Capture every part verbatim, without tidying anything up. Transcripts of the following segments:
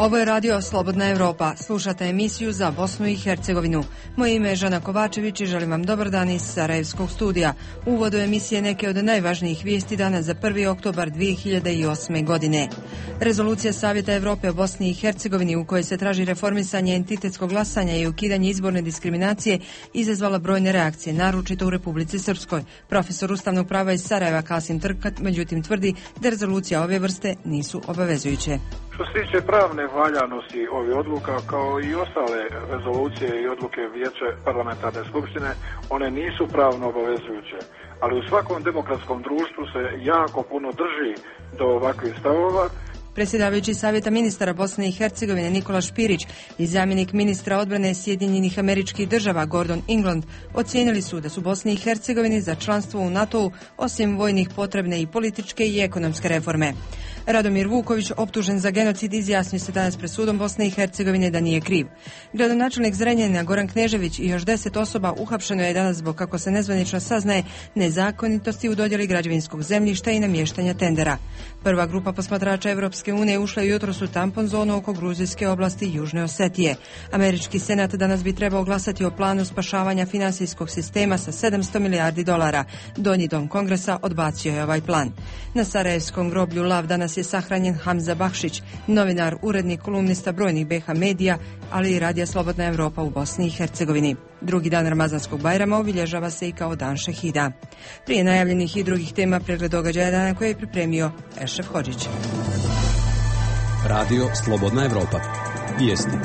Ovo je radio Slobodna Evropa. Slušate emisiju za Bosnu i Hercegovinu. Moje ime je Žana Kovačević i želim vam dobar dan iz Sarajevskog studija. U uvodu emisije neke od najvažnijih vijesti danas za prvi oktobar dvije hiljade osme. godine. Rezolucija Savjeta Evrope o Bosni i Hercegovini u kojoj se traži reformisanje entitetskog glasanja i ukidanje izborne diskriminacije izazvala brojne reakcije, naročito u Republici Srpskoj. Profesor ustavnog prava iz Sarajeva Kasim Trkat međutim tvrdi da rezolucija ove vrste nisu obavezujuće. Što se tiče pravne valjanosti ovih odluka, kao i ostale rezolucije i odluke Vijeća parlamentarne skupštine, one nisu pravno obavezujuće. Ali u svakom demokratskom društvu se jako puno drži do ovakvih stavova. Predsjedavajući Savjeta ministara Bosne i Hercegovine Nikola Špirić i zamjenik ministra odbrane Sjedinjenih Američkih Država Gordon England ocijenili su da su Bosni i Hercegovini za članstvo u NATO-u osim vojnih potrebne i političke i ekonomske reforme. Radomir Vuković, optužen za genocid, izjasnio se danas pred sudom Bosne i Hercegovine da nije kriv. Gradonačelnik Zrenjanina Goran Knežević i još deset osoba uhapšeno je danas zbog, kako se nezvanično saznaje, nezakonitosti u dodjeli građevinskog zemljišta i namještanja tendera. Prva grupa posmatrača Evropske unije ušla jutros u tampon zonu oko gruzijske oblasti Južne Osetije. Američki senat danas bi trebao glasati o planu spašavanja finansijskog sistema sa sedamsto milijardi dolara. Donji dom Kongresa odbacio je ovaj plan. Na Sarajevskom groblju Lav danas je sahranjen Hamza Bakšić, novinar, urednik, kolumnista brojnih B H medija, ali i radija Slobodna Evropa u Bosni i Hercegovini. Drugi dan Ramazanskog Bajrama obilježava se i kao dan šehida. Prije najavljenih i drugih tema pregled događaja dana koje je pripremio Ešref Hodžić. Radio Slobodna Evropa. Vijesti.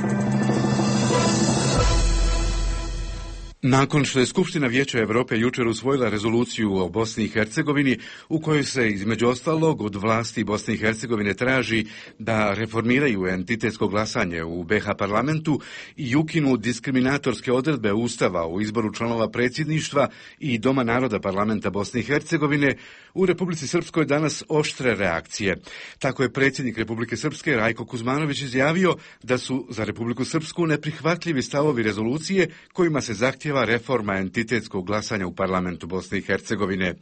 Nakon što je Skupština Vijeća Europe jučer usvojila rezoluciju o Bosni i Hercegovini u kojoj se između ostalog od vlasti Bosne i Hercegovine traži da reformiraju entitetsko glasanje u B H parlamentu i ukinu diskriminatorske odredbe Ustava u izboru članova predsjedništva i Doma naroda parlamenta Bosne i Hercegovine, u Republici Srpskoj danas oštre reakcije. Tako je predsjednik Republike Srpske Rajko Kuzmanović izjavio da su za Republiku Srpsku neprihvatljivi stavovi rezolucije kojima se zahtjeva reforma entitetskog glasanja u parlamentu Bosne i Hercegovine.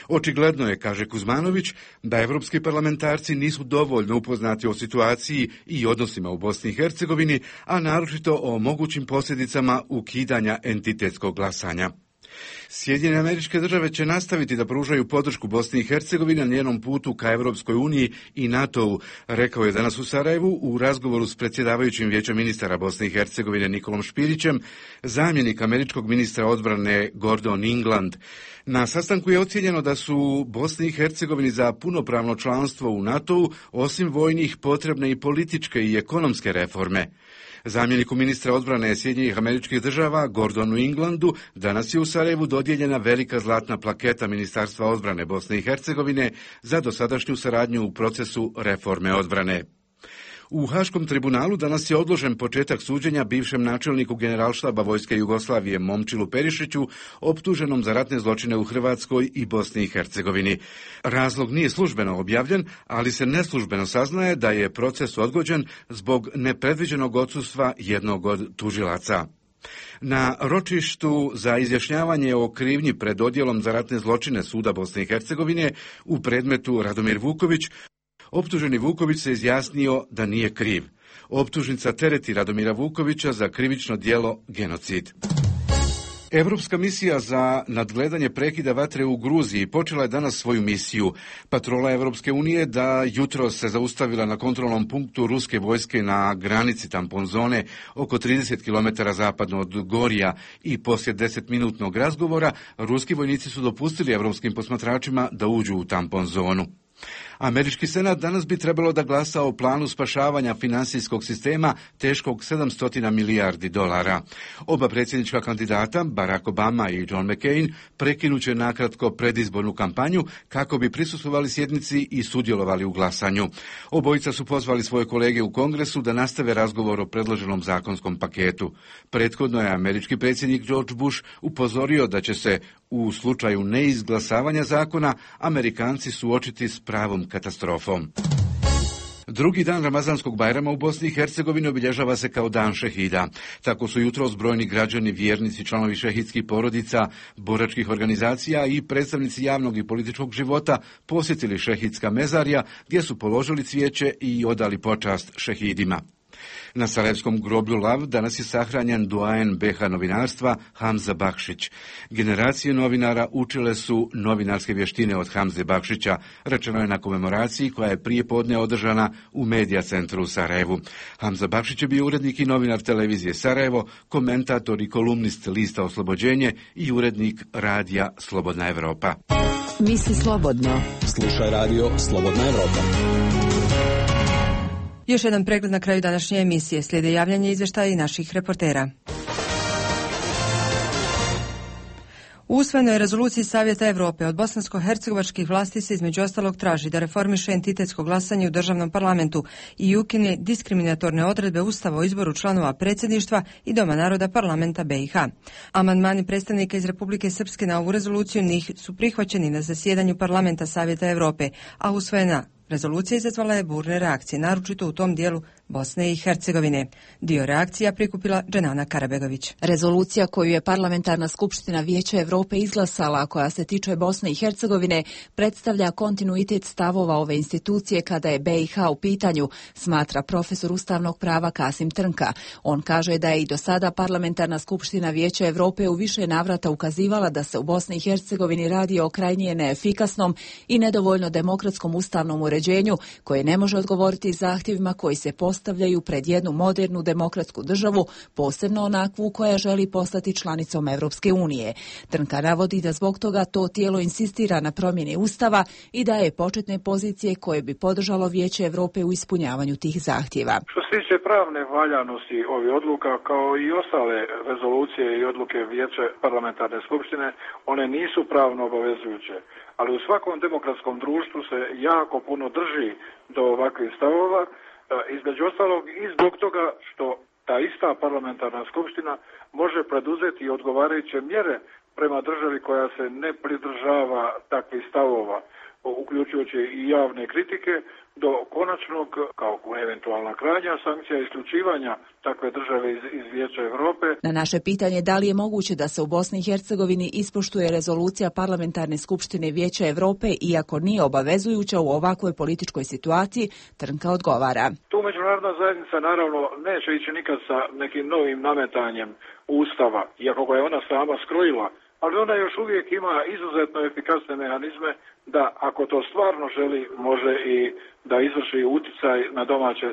Očigledno je, kaže Kuzmanović, da evropski parlamentarci nisu dovoljno upoznati o situaciji i odnosima u Bosni i Hercegovini, a naročito o mogućim posljedicama ukidanja entitetskog glasanja. Sjedinjene Američke Države će nastaviti da pružaju podršku Bosni i Hercegovini na njenom putu ka Europskoj uniji i NATO-u, rekao je danas u Sarajevu u razgovoru s predsjedavajućim Vijećem ministara Bosne i Hercegovine Nikolom Špirićem, zamjenik američkog ministra odbrane Gordon England. Na sastanku je ocijenjeno da su Bosni i Hercegovini za punopravno članstvo u NATO-u osim vojnih potrebne i političke i ekonomske reforme. Zamjeniku ministra odbrane Sjedinjenih Američkih Država Gordonu Englandu danas je u Sarajevu dodijeljena velika zlatna plaketa Ministarstva odbrane Bosne i Hercegovine za dosadašnju saradnju u procesu reforme odbrane. U Haškom tribunalu danas je odložen početak suđenja bivšem načelniku Generalštaba Vojske Jugoslavije Momčilu Perišiću, optuženom za ratne zločine u Hrvatskoj i Bosni i Hercegovini. Razlog nije službeno objavljen, ali se neslužbeno saznaje da je proces odgođen zbog nepredviđenog odsustva jednog od tužilaca. Na ročištu za izjašnjavanje o krivnji pred odjelom za ratne zločine Suda Bosne i Hercegovine u predmetu Radomir Vuković, optuženi Vuković se izjasnio da nije kriv. Optužnica tereti Radomira Vukovića za krivično djelo genocid. Europska misija za nadgledanje prekida vatre u Gruziji počela je danas svoju misiju. Patrola Europske unije da jutros se zaustavila na kontrolnom punktu ruske vojske na granici tampon zone oko trideset kilometara zapadno od Gorija i poslije desetminutnog razgovora ruski vojnici su dopustili europskim posmatračima da uđu u tampon zonu. Američki senat danas bi trebalo da glasa o planu spašavanja finansijskog sistema teškog sedamsto milijardi dolara. Oba predsjednička kandidata, Barack Obama i John McCain, prekinuće nakratko predizbornu kampanju kako bi prisustvovali sjednici i sudjelovali u glasanju. Obojica su pozvali svoje kolege u Kongresu da nastave razgovor o predloženom zakonskom paketu. Prethodno je američki predsjednik George Bush upozorio da će se u slučaju neizglasavanja zakona Amerikanci suočiti s pravom katastrofom. Drugi dan Ramazanskog Bajrama u Bosni i Hercegovini obilježava se kao dan šehida. Tako su jutros brojni građani, vjernici, članovi šehidskih porodica, boračkih organizacija i predstavnici javnog i političkog života posjetili šehidska mezarja gdje su položili cvijeće i odali počast šehidima. Na sarajevskom groblju Lav danas je sahranjen doajen be ha novinarstva Hamza Bakšić. Generacije novinara učile su novinarske vještine od Hamze Bakšića, rečeno je na komemoraciji koja je prije podne održana u Medija centru u Sarajevu. Hamza Bakšić je bio urednik i novinar televizije Sarajevo, komentator i kolumnist lista Oslobođenje i urednik radija Slobodna Evropa. Misli slobodno. Slušaj radio Slobodna Evropa. Još jedan pregled na kraju današnje emisije. Slijede javljanje izvještaja i naših reportera. U usvojenoj rezoluciji Savjeta Europe od bosansko-hercegovačkih vlasti se između ostalog traži da reformiše entitetsko glasanje u državnom parlamentu i ukine diskriminatorne odredbe Ustava o izboru članova predsjedništva i Doma naroda parlamenta be i ha. Amandmani predstavnika iz Republike Srpske na ovu rezoluciju njih su prihvaćeni na zasjedanju parlamenta Savjeta Europe, a usvojena rezolucija izazvala je burne reakcije, naročito u tom dijelu Bosne i Hercegovine. Dio reakcija prikupila Dženana Karabegović. Rezolucija koju je Parlamentarna skupština Vijeća Europe izglasala, koja se tiče Bosne i Hercegovine, predstavlja kontinuitet stavova ove institucije kada je be i ha u pitanju, smatra profesor ustavnog prava Kasim Trnka. On kaže da je i do sada Parlamentarna skupština Vijeća Europe u više navrata ukazivala da se u Bosni i Hercegovini radi o krajnje neefikasnom i nedovoljno demokratskom ustavnom uređenju koje ne može odgovoriti zahtjevima koji se postavljaju pred jednu modernu demokratsku državu, posebno onakvu koja želi postati članicom Evropske unije. Trnka navodi da zbog toga to tijelo insistira na promjeni Ustava i daje početne pozicije koje bi podržalo Vijeće Europe u ispunjavanju tih zahtjeva. Što se tiče pravne valjanosti ovih odluka, kao i ostale rezolucije i odluke Vijeća parlamentarne skupštine, one nisu pravno obavezujuće. Ali u svakom demokratskom društvu se jako puno drži do ovakvih stavova, između ostalog i zbog toga što ta ista parlamentarna skupština može preduzeti odgovarajuće mjere prema državi koja se ne pridržava takvih stavova, uključujući i javne kritike, do konačnog, kao eventualna krajnja sankcija isključivanja takve države iz, iz Vijeća Europe. Na naše pitanje da li je moguće da se u Bosni i Hercegovini ispoštuje rezolucija Parlamentarne skupštine Vijeća Europe, iako nije obavezujuća u ovakvoj političkoj situaciji, Trnka odgovara. Tu međunarodna zajednica naravno neće ići nikad sa nekim novim nametanjem Ustava, iako ga je ona sama skrojila, ali ona još uvijek ima izuzetno efikasne mehanizme da, ako to stvarno želi, može i da izvrši uticaj na domaće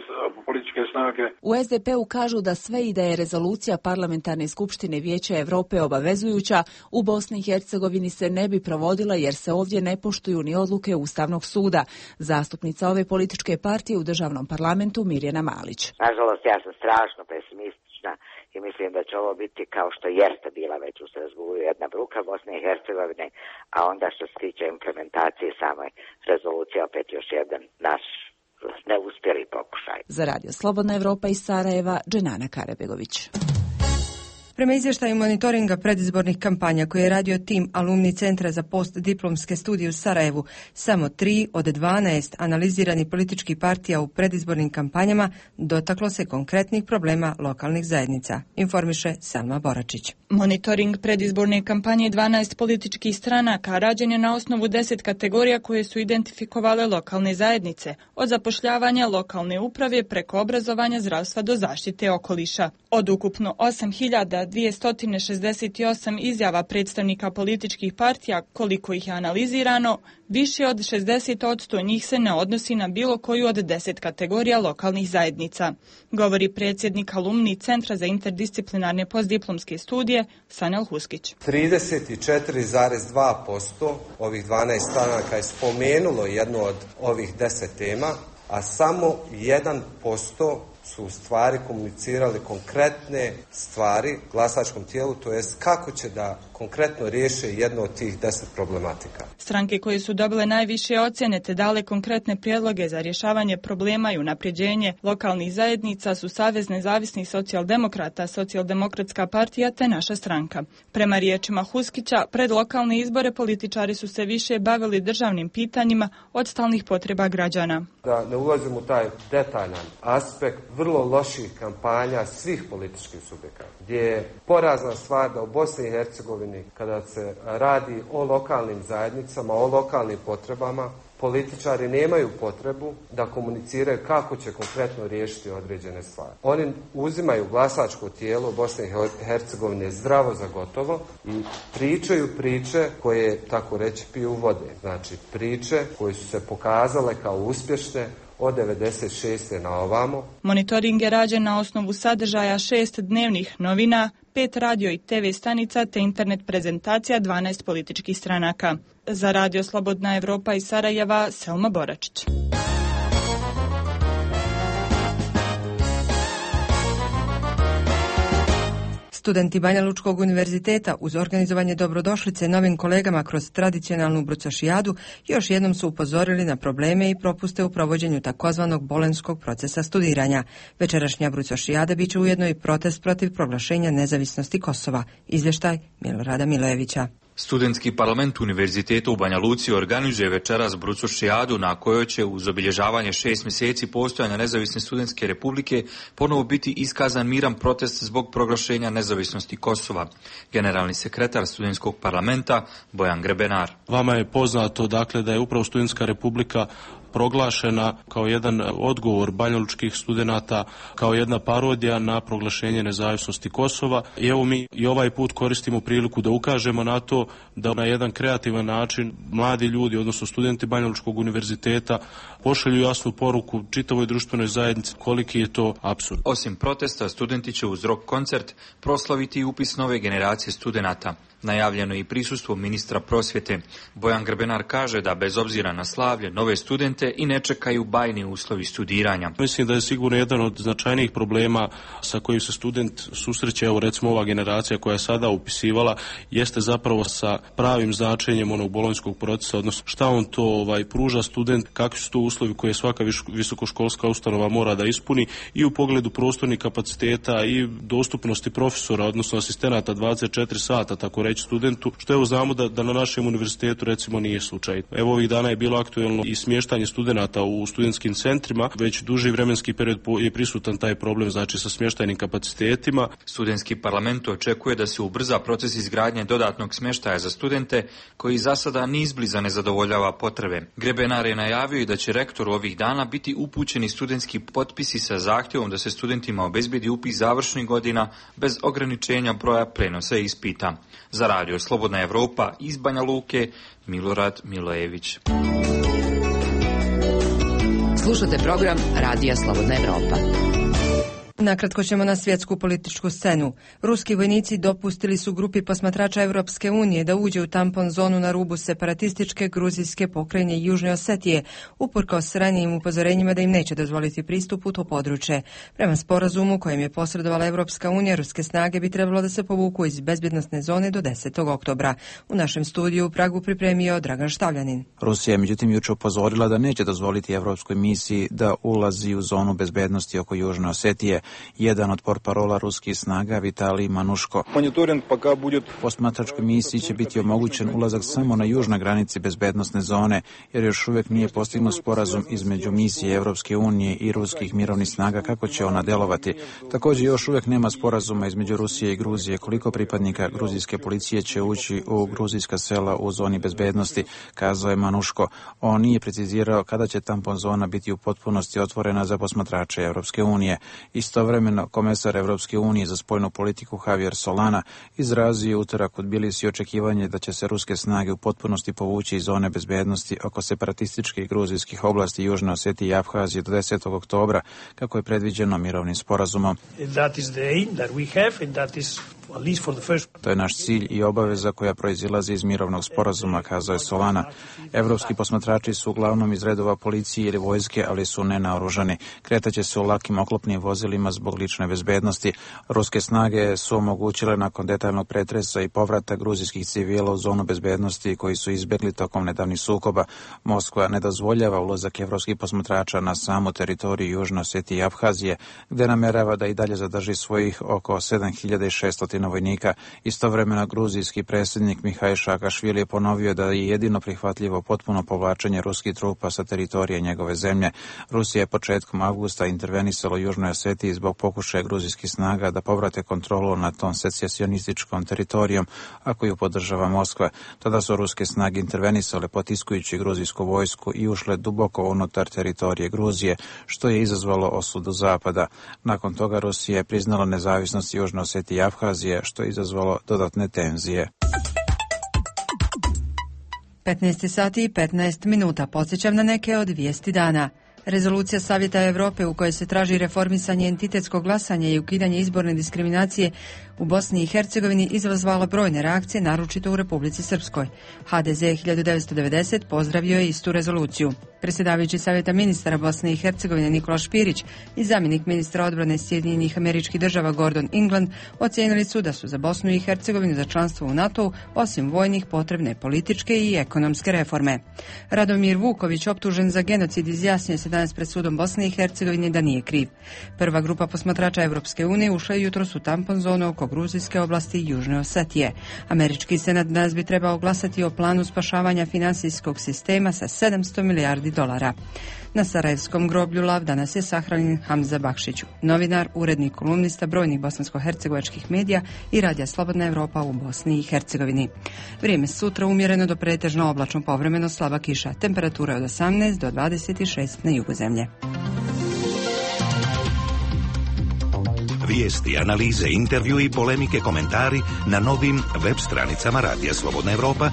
političke snage. U es de pe-u kažu da sve i da je rezolucija Parlamentarne skupštine Vijeća Europe obavezujuća, u Bosni i Hercegovini se ne bi provodila jer se ovdje ne poštuju ni odluke Ustavnog suda. Zastupnica ove političke partije u državnom parlamentu Mirjana Malić. Nažalost, ja sam strašno pesimistična i mislim da će ovo biti kao što jeste bila već u Strasbourgu jedna bruka Bosne i Hercegovine, a onda što se tiče implementacije same rezolucije opet još jedan naš neuspjeli pokušaj. Za Radio Slobodna Evropa iz Sarajeva, Dženana Karabegović. Prema izvještaju monitoringa predizbornih kampanja koje je radio tim alumni Centra za postdiplomske studije u Sarajevu, samo tri od dvanaest analiziranih političkih partija u predizbornim kampanjama dotaklo se konkretnih problema lokalnih zajednica, informiše Selma Boračić. Monitoring predizborne kampanje dvanaest političkih stranaka rađen je na osnovu deset kategorija koje su identifikovale lokalne zajednice, od zapošljavanja lokalne uprave preko obrazovanja, zdravstva do zaštite okoliša. Od ukupno osam hiljada dvjesto šezdeset osam izjava predstavnika političkih partija, koliko ih je analizirano, više od šezdeset posto njih se ne odnosi na bilo koju od deset kategorija lokalnih zajednica, govori predsjednik alumni Centra za interdisciplinarne postdiplomske studije Sanel Huskić. trideset četiri zarez dva posto ovih dvanaest stranaka je spomenulo jednu od ovih deset tema, a samo jedan posto su u stvari komunicirali konkretne stvari glasačkom tijelu, to jest kako će da konkretno riješe jedno od tih deset problematika. Stranke koje su dobile najviše ocjene te dale konkretne prijedloge za rješavanje problema i unapređenje lokalnih zajednica su Savez nezavisnih socijaldemokrata, Socijaldemokratska partija te Naša stranka. Prema riječima Huskića, pred lokalne izbore političari su se više bavili državnim pitanjima od stalnih potreba građana. Da ne ulazim u taj detaljan aspekt vrlo loših kampanja svih političkih subjekata, gdje je porazna stvar da u Bosni i Hercegovini kada se radi o lokalnim zajednicama, o lokalnim potrebama, političari nemaju potrebu da komuniciraju kako će konkretno riješiti određene stvari. Oni uzimaju glasačko tijelo Bosne i Hercegovine zdravo za gotovo i pričaju priče koje, tako reći, piju vode. Znači priče koje su se pokazale kao uspješne od devedeset šeste na ovamo. Monitoring je rađen na osnovu sadržaja šest dnevnih novina, pet radio i te ve stanica te internet prezentacija dvanaest političkih stranaka. Za Radio Slobodna Evropa iz Sarajeva, Selma Boračić. Studenti Banja Lučkog univerziteta uz organizovanje dobrodošlice novim kolegama kroz tradicionalnu brucošijadu još jednom su upozorili na probleme i propuste u provođenju takozvanog bolenskog procesa studiranja. Večerašnja brucošijada biće ujedno i protest protiv proglašenja nezavisnosti Kosova. Izvještaj Milorada Milojevića. Studentski parlament Univerziteta u Banja Luci organizuje večeras brucošijadu na kojoj će uz obilježavanje šest mjeseci postojanja nezavisne studentske republike ponovo biti iskazan miran protest zbog proglašenja nezavisnosti Kosova. Generalni sekretar studentskog parlamenta Bojan Grebenar. Vama je poznato dakle da je upravo studentska republika proglašena kao jedan odgovor banjalučkih studenata, kao jedna parodija na proglašenje nezavisnosti Kosova. I evo mi i ovaj put koristimo priliku da ukažemo na to da na jedan kreativan način mladi ljudi, odnosno studenti Banjalučkog univerziteta, pošalju jasnu poruku čitavoj društvenoj zajednici koliki je to apsurd. Osim protesta, studenti će uz rock koncert proslaviti i upis nove generacije studenata. Najavljeno je i prisustvo ministra prosvjete. Bojan Grbenar kaže da bez obzira na slavlje, nove studente i ne čekaju bajni uslovi studiranja. Mislim da je sigurno jedan od značajnijih problema sa kojim se student susreće, evo recimo ova generacija koja je sada upisivala, jeste zapravo sa pravim značenjem onog bolonjskog procesa, odnosno šta on to ovaj, pruža student, kakvi su to uslovi koje svaka visokoškolska ustanova mora da ispuni i u pogledu prostornih kapaciteta i dostupnosti profesora, odnosno asistenata dvadeset četiri sata, tako reći studentu, što evo znamo da, da na našem univerzitetu recimo nije slučaj. Evo ovih dana je bilo aktuelno i smještanje studenata u studentskim centrima, već duži vremenski period je prisutan taj problem, znači sa smještajnim kapacitetima. Studentski parlament očekuje da se ubrza proces izgradnje dodatnog smještaja za studente, koji za sada ni izbliza ne zadovoljava potrebe. Grebenar je najavio i da će rektoru ovih dana biti upućeni studentski potpisi sa zahtjevom da se studentima obezbedi upis završnih godina bez ograničenja broja prenosa ispita. Za Radio Slobodna Evropa iz Banja Luke, Milorad Milojević. Slušate program Radija Slobodna Evropa. Nakratko ćemo na svjetsku političku scenu. Ruski vojnici dopustili su grupi posmatrača Europske unije da uđe u tampon zonu na rubu separatističke gruzijske pokrajine Južne Osetije, uprkos ranijim upozorenjima da im neće dozvoliti pristup u to područje. Prema sporazumu kojem je posredovala Europska unija, ruske snage bi trebalo da se povuku iz bezbjednosne zone do desetog oktobra. U našem studiju u Pragu pripremio Dragan Štavljanin. Rusija je međutim juče upozorila da neće dozvoliti Europskoj misiji da ulazi u zonu bezbednosti oko Južne Osetije. Jedan od portparola ruskih snaga, Vitalij Manuško. Posmatračkoj misiji će biti omogućen ulazak samo na južnoj granici bezbednosne zone, jer još uvijek nije postignut sporazum između misije Europske unije i ruskih mirovnih snaga kako će ona djelovati. Također još uvijek nema sporazuma između Rusije i Gruzije koliko pripadnika gruzijske policije će ući u gruzijska sela u zoni bezbednosti, kazao je Manuško. On nije precizirao kada će tampon zona biti u potpunosti otvorena za posmatrače Europske unije. Istovremeno, komesar Europske unije za spoljnu politiku Javier Solana izrazio utorak u Tbilisi očekivanje da će se ruske snage u potpunosti povući iz zone bezbednosti oko separatističkih gruzijskih oblasti Južne Osetije i Abhazije do desetog oktobra, kako je predviđeno mirovnim sporazumom. To je naš cilj i obaveza koja proizilazi iz mirovnog sporazuma, kazao je Solana. Evropski posmatrači su uglavnom iz redova policije ili vojske, ali su nenaoružani. Kretaće se u lakim oklopnim vozilima zbog lične bezbednosti. Ruske snage su omogućile nakon detaljnog pretresa i povrata gruzijskih civila u zonu bezbednosti koji su izbjegli tokom nedavnih sukoba. Moskva ne dozvoljava ulazak evropskih posmatrača na samu teritoriju Južne Osetije i Abhazije, gdje namerava da i dalje zadrži svojih oko sedam hiljada šesto stotina vojnika. Istovremeno gruzijski predsjednik Mihajl Saakašvili je ponovio da je jedino prihvatljivo potpuno povlačenje ruskih trupa sa teritorije njegove zemlje. Rusija je početkom avgusta intervenisala u Južnoj Osetiji zbog pokušaja gruzijskih snaga da povrate kontrolu nad tom secesionističkom teritorijom, a koju podržava Moskva. Tada su ruske snage intervenisale potiskujući gruzijsku vojsku i ušle duboko unutar teritorije Gruzije, što je izazvalo osudu Zapada. Nakon toga Rusija je priznala nezavisnost Južne Osetije i Abhazije, što je izazvalo dodatne tenzije. petnaest sati i petnaest minuta. Podsjećam na neke od vijesti dana. Rezolucija Savjeta Europe u kojoj se traži reformisanje entitetskog glasanja i ukidanje izborne diskriminacije u Bosni i Hercegovini izazvala brojne reakcije, naročito u Republici Srpskoj. ha de ze hiljadu devetsto devedeset pozdravio je istu rezoluciju. Predsjedavajući Savjeta ministara Bosne i Hercegovine Nikola Špirić i zamjenik ministra odbrane Sjedinjenih Američkih Država Gordon England ocijenili su da su za Bosnu i Hercegovinu za članstvo u NATO-u osim vojnih potrebne političke i ekonomske reforme. Radomir Vuković, optužen za genocid, izjasnio se danas pred sudom Bosne i Hercegovine da nije kriv. Prva grupa posmatrača Europske unije ušla je jutros u tampon zonu oko gruzijske oblasti Južne Osetije. Američki senat danas bi trebao glasati o planu spašavanja finansijskog sistema sa sedamsto milijardi dolara. Na Sarajevskom groblju Lav danas je sahranjen Hamza Bakšić, novinar, urednik, kolumnista brojnih bosansko-hercegovačkih medija i radija Slobodna Evropa u Bosni i Hercegovini. Vrijeme sutra umjereno do pretežno oblačno, povremeno slaba kiša, temperatura od osamnaest do dvadeset šest na jugu zemlje. Vijesti, analize, intervju i polemike, komentari na novim web stranicama Radija Slobodna Evropa,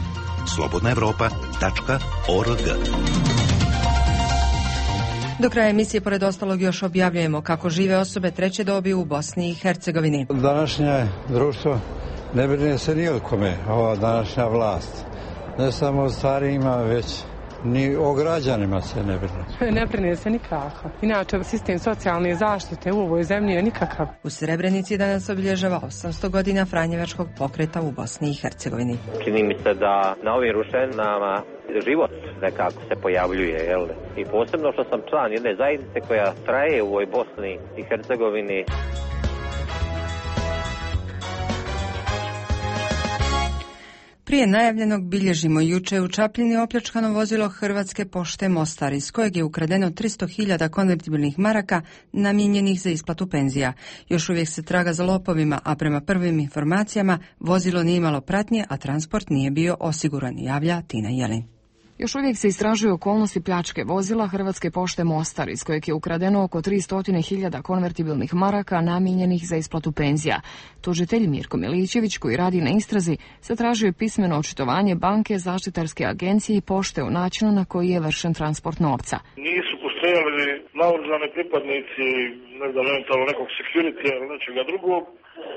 slobodna evropa tačka org. Do kraja emisije, pored ostalog, još objavljujemo kako žive osobe treće dobi u Bosni i Hercegovini. Današnje društvo ne brine se ni o kome, ova današnja vlast. Ne samo o starijima, već ni o građanima se ne brine. Ne brine se nikako. Inače, sistem socijalne zaštite u ovoj zemlji je nikakav. U Srebrenici danas obilježava osamsto godina Franjevačkog pokreta u Bosni i Hercegovini. Čini mi se da na ovim ruševinama život nekako se pojavljuje, jel? I posebno što sam član jedne zajednice koja traje u ovoj Bosni i Hercegovini. Prije najavljenog bilježimo juče u Čapljini opljačkano vozilo Hrvatske pošte Mostar, iz kojeg je ukradeno tristo hiljada konvertibilnih maraka namijenjenih za isplatu penzija. Još uvijek se traga za lopovima, a prema prvim informacijama vozilo nije imalo pratnje, a transport nije bio osiguran, javlja Tina Jelin. Još uvijek se istražuju okolnosti pljačke vozila Hrvatske pošte Mostar, iz kojeg je ukradeno oko tristo hiljada konvertibilnih maraka namijenjenih za isplatu penzija. Tužitelj Mirko Milićević, koji radi na istrazi, zatražio pismeno očitovanje banke, zaštitarske agencije i pošte o načinu na koji je vršen transport novca. Nisu postojali naoružani pripadnici, ne znam, eventualno nekog security ili nečega drugog,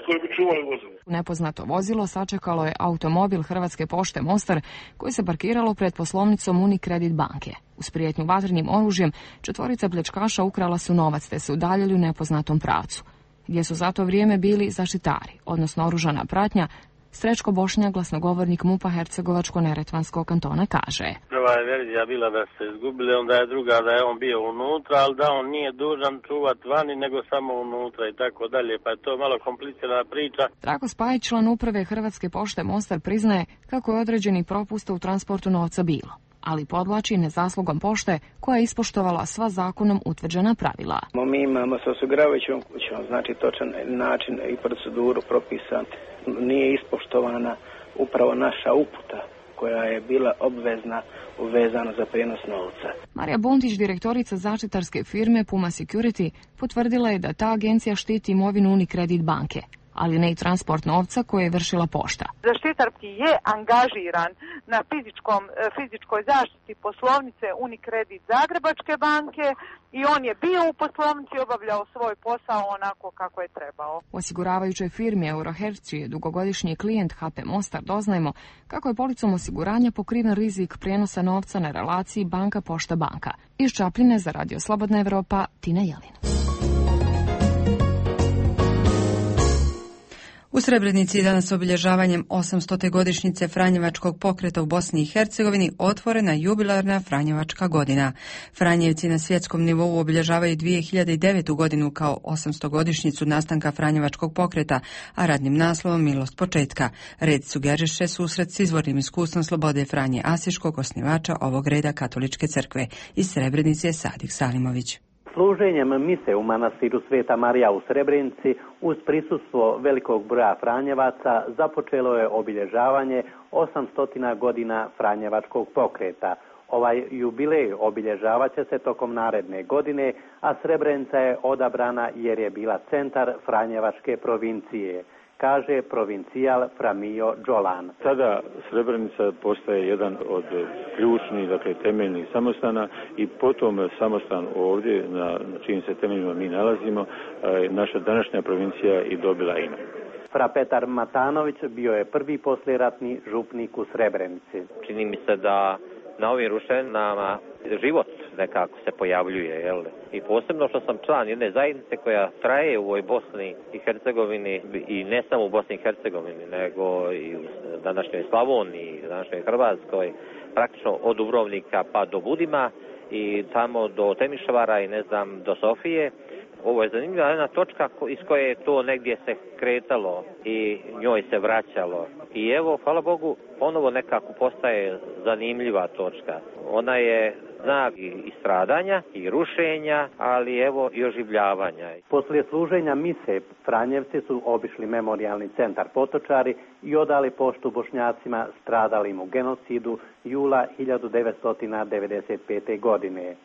koji bi čuvali vozilo. Nepoznato vozilo sačekalo je automobil Hrvatske pošte Mostar, koji se parkiralo pred poslovnicom Unicredit banke. Uz prijetnju vatrenim oružjem, četvorica pljačkaša ukrala su novac te se udaljili u nepoznatom pravcu, gdje su za to vrijeme bili zaštitari, odnosno oružana pratnja. Srećko Bošnjak, glasnogovornik MUP-a Hercegovačko-neretvanskog kantona, kaže: Prva je verzija bila da se izgubili, onda je druga da je on bio unutra, ali da on nije dužan čuvati vani, nego samo unutra i tako dalje, pa je to malo komplicirana priča. Trako Spajić, član uprave Hrvatske pošte Mostar, priznaje kako je određeni propusta u transportu novca bilo, ali podvlači nezaslugom pošte koja je ispoštovala sva zakonom utvrđena pravila. Mi imamo sa osiguravajućom kućom, znači točan način i proceduru propisan. Nije ispoštovana upravo naša uputa koja je bila obvezna uvezana za prijenos novca. Marija Buntić, direktorica zaštitarske firme Puma Security, potvrdila je da ta agencija štiti imovinu Unicredit banke, ali ne i transport novca koje je vršila pošta. Zaštitar je angažiran na fizičkom, fizičkoj zaštiti poslovnice Unicredit Zagrebačke banke i on je bio u poslovnici i obavljao svoj posao onako kako je trebao. U osiguravajućoj firmi Euroherc, čiji je dugogodišnji klijent H P Mostar, doznajemo kako je policom osiguranja pokriven rizik prijenosa novca na relaciji banka pošta banka. Iz Čapljine za Radio Slobodna Evropa, Tina Jelin. U Srebrenici je danas obilježavanjem osamstote godišnjice Franjevačkog pokreta u Bosni i Hercegovini otvorena jubilarna Franjevačka godina. Franjevci na svjetskom nivou obilježavaju dvije hiljade devetu godinu kao osamstogodišnjicu nastanka Franjevačkog pokreta, a radnim naslovom Milost početka. Red sugeriše susret s izvornim iskustvom Slobode Franje Asiškog, osnivača ovog reda Katoličke crkve. Iz Srebrenice je Sadik Salimović. Služenjem mise u manastiru Sveta Marija u Srebrenici uz prisustvo velikog broja Franjevaca započelo je obilježavanje osamstotina godina Franjevačkog pokreta. Ovaj jubilej obilježavat će se tokom naredne godine, a Srebrenica je odabrana jer je bila centar Franjevačke provincije, kaže provincijal Framio Đolan. Sada Srebrenica postaje jedan od ključnih, dakle temeljnih samostana i potom samostan ovdje na čijim se temeljima mi nalazimo, naša današnja provincija i dobila ime. Fra Petar Matanović bio je prvi poslijeratni župnik u Srebrenici. Čini mi se da na ovim ruševinama život nekako se pojavljuje, jel? I posebno što sam član jedne zajednice koja traje u ovoj Bosni i Hercegovini i ne samo u Bosni i Hercegovini, nego i u današnjoj Slavoniji, današnjoj Hrvatskoj, praktično od Dubrovnika pa do Budima i tamo do Temišvara i ne znam do Sofije. Ovo je zanimljiva jedna točka iz koje je to negdje se kretalo i njoj se vraćalo. I evo, hvala Bogu, ponovo nekako postaje zanimljiva točka. Ona je znak i stradanja i rušenja, ali evo i oživljavanja. Poslije služenja mise, Franjevci su obišli memorijalni centar Potočari i odali poštu Bošnjacima stradalim u genocidu jula hiljadu devetsto devedeset pete. godine.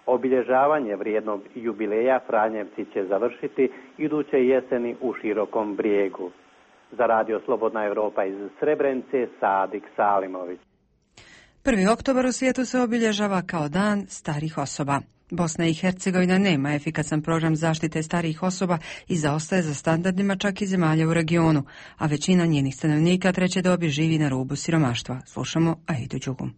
Obilježavanje vrijednog jubileja Franjevci će završiti iduće jeseni u Širokom Brijegu. Za Radio Slobodna Evropa iz Srebrenice, Sadik Salimović. prvi oktobar u svijetu se obilježava kao dan starih osoba. Bosna i Hercegovina nema efikasan program zaštite starijih osoba i zaostaje za standardima čak i zemalja u regionu, a većina njenih stanovnika treće dobi živi na rubu siromaštva. Slušamo Aidu Đugum.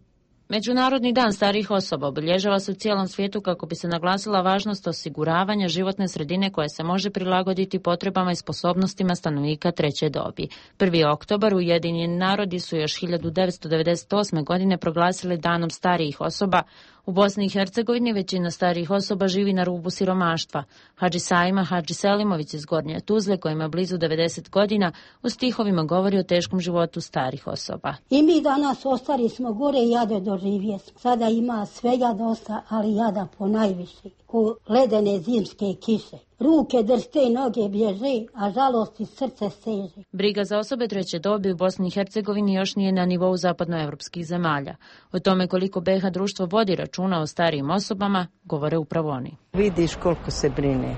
Međunarodni dan starijih osoba obilježava se u cijelom svijetu kako bi se naglasila važnost osiguravanja životne sredine koja se može prilagoditi potrebama i sposobnostima stanovnika treće dobi. prvi oktobar Ujedinjeni narodi su još hiljadu devetsto devedeset osme. godine proglasili danom starijih osoba. U Bosni i Hercegovini većina starijih osoba živi na rubu siromaštva. Hadži Saima Hadži Selimović iz Gornje Tuzle, kojima je blizu devedeset godina, u stihovima govori o teškom životu starih osoba. I mi danas ostari smo gore i jade doživje. Sada ima svega dosta, ali jada po najviši. Ko ledene zimske kiše. Ruke dršte, noge bježe, a žalost i srce seže. Briga za osobe treće dobi u Bosni i Hercegovini još nije na nivou zapadnoevropskih zemalja. O tome koliko B iH društvo vodi računa o starijim osobama, govore upravo oni. Vidiš koliko se brine.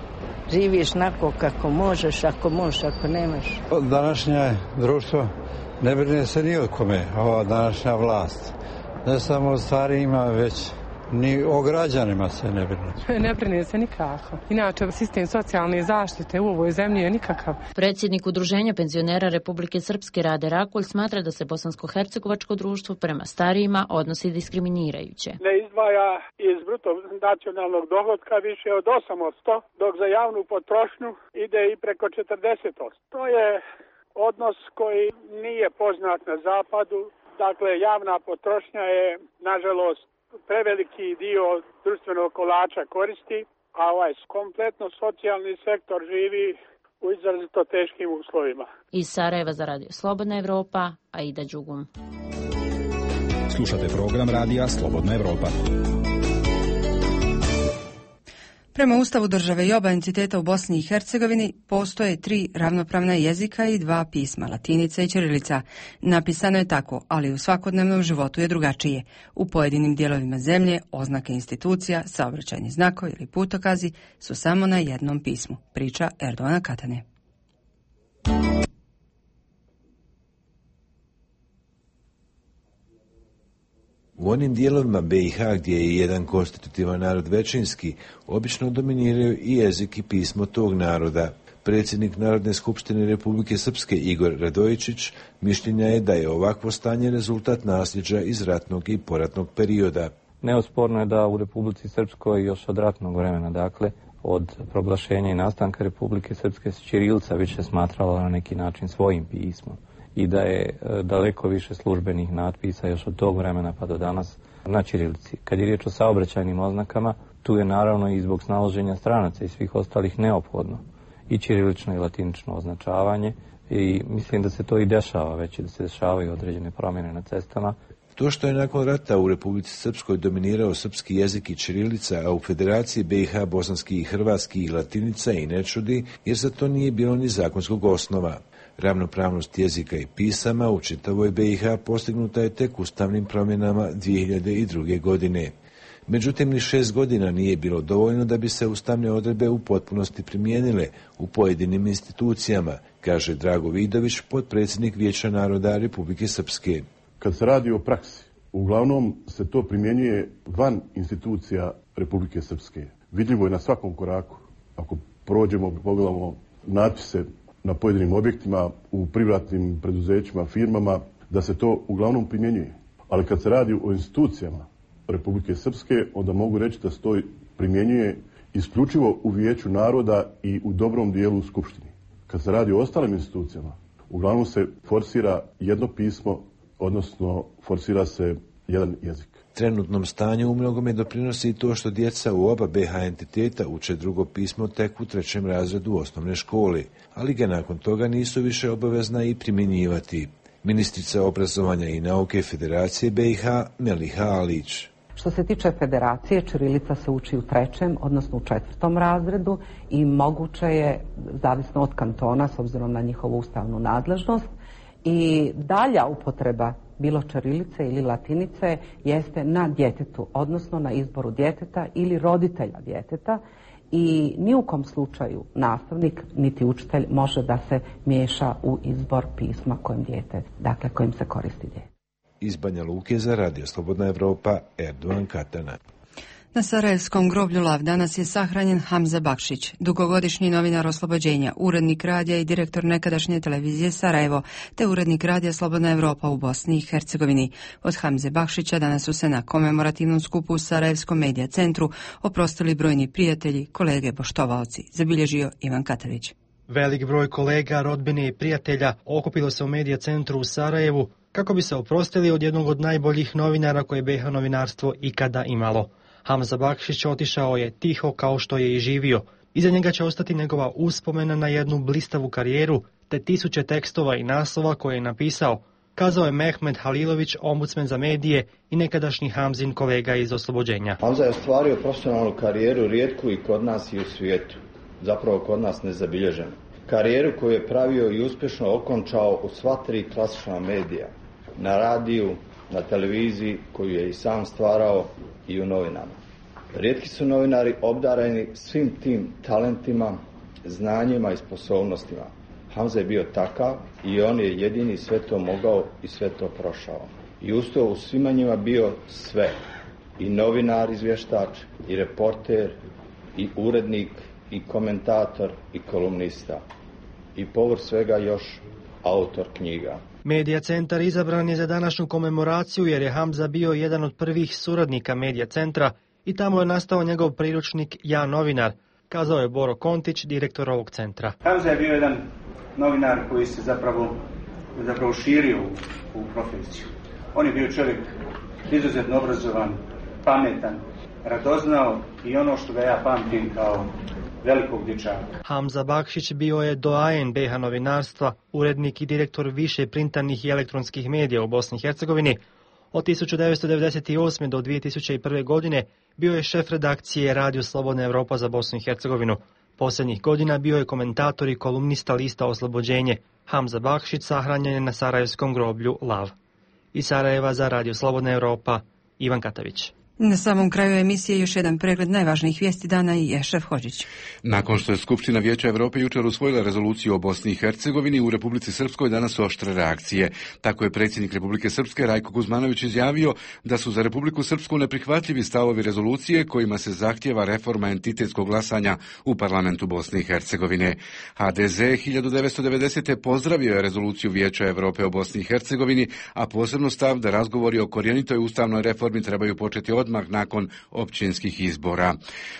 Živiš nako kako možeš, ako možeš, ako nemaš. Današnje društvo ne brine se ni o kome, ova današnja vlast. Ne samo o starijima, već ni o građanima se ne brine. Ne brine se nikako. Inače, sistem socijalne zaštite u ovoj zemlji je nikakav. Predsjednik Udruženja penzionera Republike Srpske Rade Rakulj smatra da se bosansko-hercegovačko društvo prema starijima odnosi diskriminirajuće. Ne izdvaja iz bruto nacionalnog dohotka više od osam posto, dok za javnu potrošnju ide i preko četrdeset posto. To je odnos koji nije poznat na zapadu. Dakle, javna potrošnja je, nažalost, preveliki dio društvenog kolača koristi, a ovaj kompletno socijalni sektor živi u izrazito teškim uslovima. Iz Sarajeva za Radio Slobodna Evropa, Aida Đugum. Slušate program Radija Slobodna Evropa. Prema Ustavu države i oba entiteta u Bosni i Hercegovini postoje tri ravnopravna jezika i dva pisma, latinica i ćirilica. Napisano je tako, ali u svakodnevnom životu je drugačije. U pojedinim dijelovima zemlje oznake institucija, saobraćajni znakovi ili putokazi su samo na jednom pismu, priča Erdovana Katane. U onim dijelovima B iH gdje je jedan konstitutivan narod većinski, obično dominiraju i jezik i pismo tog naroda. Predsjednik Narodne skupštine Republike Srpske Igor Radojičić mišljenja je da je ovakvo stanje rezultat nasljeđa iz ratnog i poratnog perioda. Neosporno je da u Republici Srpskoj još od ratnog vremena, dakle, od proglašenja i nastanka Republike Srpske se ćirilica više smatrala na neki način svojim pismom i da je daleko više službenih natpisa još od tog vremena pa do danas na ćirilici. Kad je riječ o saobraćajnim oznakama, tu je naravno i zbog snalaženja stranaca i svih ostalih neophodno i ćirilično i latinično označavanje i mislim da se to i dešava već i da se dešavaju određene promjene na cestama. To što je nakon rata u Republici Srpskoj dominirao srpski jezik i ćirilica, a u Federaciji B i H bosanski i hrvatski i latinica i ne čudi, jer za to nije bilo ni zakonskog osnova. Ravnopravnost jezika i pisama u čitavoj B i H postignuta je tek ustavnim promjenama dvije hiljade druge. godine. Međutim, ni šest godina nije bilo dovoljno da bi se ustavne odredbe u potpunosti primijenile u pojedinim institucijama, kaže Drago Vidović, potpredsjednik Vijeća naroda Republike Srpske. Kad se radi o praksi, uglavnom se to primjenjuje van institucija Republike Srpske. Vidljivo je na svakom koraku. Ako prođemo, pogledamo natpise na pojedinim objektima, u privatnim preduzećima, firmama, da se to uglavnom primjenjuje. Ali kad se radi o institucijama Republike Srpske, onda mogu reći da se to primjenjuje isključivo u Vijeću naroda i u dobrom dijelu u Skupštini. Kad se radi o ostalim institucijama, uglavnom se forsira jedno pismo, odnosno forsira se jedan jezik. Trenutnom stanju u mnogome doprinosi i to što djeca u oba B H entiteta uče drugo pismo tek u trećem razredu osnovne škole, ali ga nakon toga nisu više obavezna i primjenjivati. Ministrica obrazovanja i nauke Federacije B i H Meliha Alić. Što se tiče federacije, ćirilica se uči u trećem, odnosno u četvrtom razredu i moguće je, zavisno od kantona, s obzirom na njihovu ustavnu nadležnost, i dalja upotreba bilo ćirilice ili latinice jeste na djetetu, odnosno na izboru djeteta ili roditelja djeteta i ni u kom slučaju nastavnik niti učitelj može da se miješa u izbor pisma kojim dijete, dakle kojim se koristi dijete. Iz Banja Luke za Radio Slobodna Evropa, Erdogan Katana. Na Sarajevskom groblju Lav danas je sahranjen Hamza Bakšić, dugogodišnji novinar Oslobođenja, urednik radija i direktor nekadašnje televizije Sarajevo, te urednik radija Slobodna Evropa u Bosni i Hercegovini. Od Hamze Bakšića danas su se na komemorativnom skupu u Sarajevskom medija centru oprostili brojni prijatelji, kolege, poštovaoci, zabilježio Ivan Katavić. Velik broj kolega, rodbine i prijatelja okupilo se u medija centru u Sarajevu kako bi se oprostili od jednog od najboljih novinara koje je B i H novinarstvo ikada imalo. Hamza Bakšić otišao je tiho kao što je i živio. Iza njega će ostati njegova uspomena na jednu blistavu karijeru, te tisuće tekstova i naslova koje je napisao, kazao je Mehmed Halilović, ombudsman za medije i nekadašnji Hamzin kolega iz Oslobođenja. Hamza je ostvario profesionalnu karijeru rijetku i kod nas i u svijetu, zapravo kod nas nezabilježenu. Karijeru koju je pravio i uspješno okončao u sva tri klasična medija, na radiju, na televiziji koju je i sam stvarao i u novinama. Rijetki su novinari obdareni svim tim talentima, znanjima i sposobnostima. Hamza je bio takav i on je jedini sve to mogao i sve to prošao. I uz to u svima njima bio sve. I novinar, izvještač, i reporter, i urednik, i komentator, i kolumnista. I povrh svega još autor knjiga. Medija centar izabran je za današnju komemoraciju jer je Hamza bio jedan od prvih suradnika Medija centra i tamo je nastao njegov priručnik Ja novinar, kazao je Boro Kontić, direktor ovog centra. Hamza je bio jedan novinar koji se zapravo, zapravo širio u, u profesiju. On je bio čovjek izuzetno obrazovan, pametan, radoznao i ono što ga ja pamtim kao velikog dječaka. Hamza Bakšić bio je doajen B i H novinarstva, urednik i direktor više printanih i elektronskih medija u Bosni i Hercegovini. Od tisuću devetsto devedeset osme. do dvije tisuće prve. godine bio je šef redakcije Radio Slobodna Evropa za Bosnu i Hercegovinu. Posljednjih godina bio je komentator i kolumnista lista Oslobođenje. Hamza Bakšić sahranjen je na Sarajevskom groblju Lav. Iz Sarajeva za Radio Slobodna Evropa, Ivan Katavić. Na samom kraju emisije još jedan pregled najvažnijih vijesti dana i Ešref Hodžić. Nakon što je Skupština Vijeća Europe jučer usvojila rezoluciju o Bosni i Hercegovini, u Republici Srpskoj danas su oštre reakcije. Tako je predsjednik Republike Srpske Rajko Kuzmanović izjavio da su za Republiku Srpsku neprihvatljivi stavovi rezolucije kojima se zahtjeva reforma entitetskog glasanja u parlamentu Bosne i Hercegovine. H D Z hiljadu devetsto devedesete. pozdravio je rezoluciju Vijeća Europe o Bosni i Hercegovini, a posebno stav da razgovori o korjenitoj ustavnoj reformi trebaju početi od odmah nakon općinskih izbora.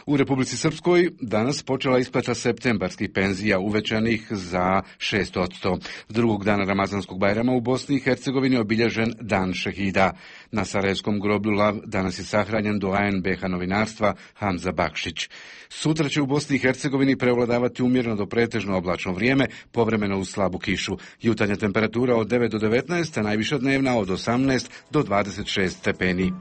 U Republici Srpskoj danas počela isplata septembarskih penzija uvećanih za šest posto. Drugog dana Ramazanskog Bajrama u Bosni i Hercegovini obilježen Dan šehida. Na Sarajevskom groblju Lav danas je sahranjen doajen be ha novinarstva Hamza Bakšić. Sutra će u Bosni i Hercegovini prevladavati umjereno do pretežno oblačno vrijeme, povremeno uz slabu kišu. Jutarnja temperatura od devet do devetnaest, a najviša dnevna od osamnaest do dvadeset šest stepeni.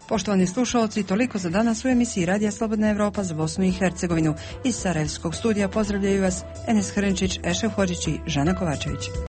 Poštovani slušalci, toliko za danas u emisiji Radija Slobodna Evropa za Bosnu i Hercegovinu. Iz Sarajevskog studija pozdravljaju vas Enes Hrnčić, Ešef Hodžić i Žana Kovačević.